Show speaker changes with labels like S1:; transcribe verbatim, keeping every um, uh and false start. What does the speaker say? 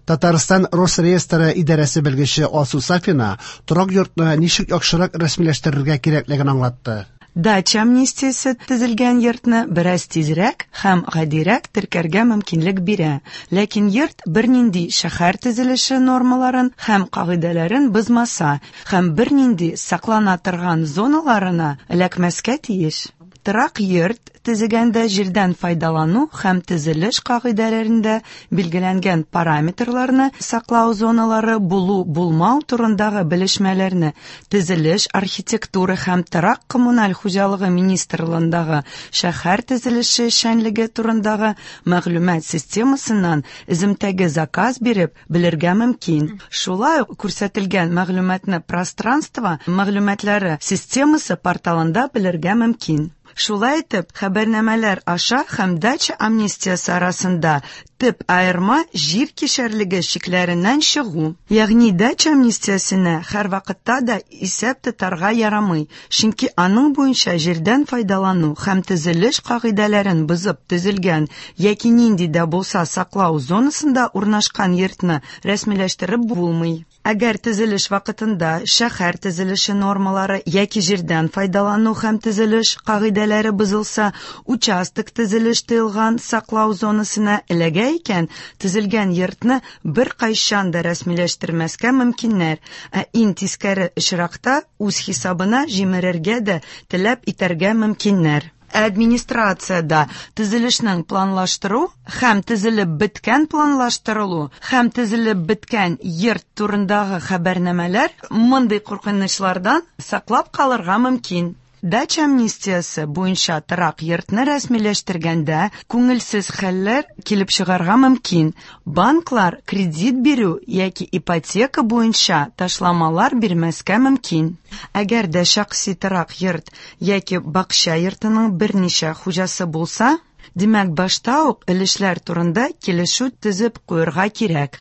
S1: Татарстан Росреестры идарәсе белгече Алсу Сафина торак йортны ничек яхшырак рәсмиләштерергә кирәклеген аңлатты.
S2: Дача амнистиясе төзелгән йортны бераз тизрәк һәм гадирәк теркәргә мөмкинлек бирә, ләкин йорт бернинди шәһәр төзелеше нормаларын һәм кагыйдәләрен бозмаса һәм бернинди саклана торган зоналарына эләкмәскә тиеш. Торак йорт төзегәндә җирдән файдалану һәм төзелеш кагыйдәләрендә билгеләнгән параметрларны саклау зоналары булу-булмау турындагы белешмәләрне Төзелеш, архитектура һәм торак-коммуналь хуҗалыгы министрлыгындагы шәһәр төзелеше эшчәнлеге турындагы мәгълүмат системасыннан өземтәгә заказ биреп белергә мөмкин. Шулай ук күрсәтелгән мәгълүматны Пространство мәгълүматлары системасы порталында белергә мөмкин. Шулай итеп, хәбәрнамәләр аша һәм дача амнистиясе арасында төп аерма җир кишәрлеге чикләреннән чыгу. Ягъни дача амнистиясенә һәрвакытта да исәп тотарга ярамый, чөнки аның буенча җирдән файдалану һәм төзелеш кагыйдәләрен бозып төзелгән яки нинди дә булса саклау зонасында урнашкан йортны рәсмиләштереп булмый. Әгәр төзелеш вакытында шәһәр төзелеше нормалары яки җирдән файдалану һәм төзелеш кагыйдәләре бозылса, участок төзелеш тыелган саклау зонасына эләгә икән, төзелгән йортны беркайчан да рәсмиләштермәскә мөмкиннәр, ә иң тискәре очракта үз хисабына җимерергә дә таләп итәргә мөмкиннәр. Администрациядә төзелешнең планлаштыру һәм төзелеп беткән планлаштырылу һәм төзелеп беткән йорт турындагы хәбәрнамәләр мондый куркынычлардан саклап калырга мөмкин. Дача амнистиясе буенча торак йортны рәсмиләштергәндә күңелсез хәлләр килеп чыгарга мөмкин. Банклар кредит бирү яки ипотека буенча ташламалар бирмәскә мөмкин. Әгәр дә шәхси торак йорт яки бакча йортының берничә хуҗасы булса, димәк, башта ук өлешләр турында килешү төзеп куярга кирәк.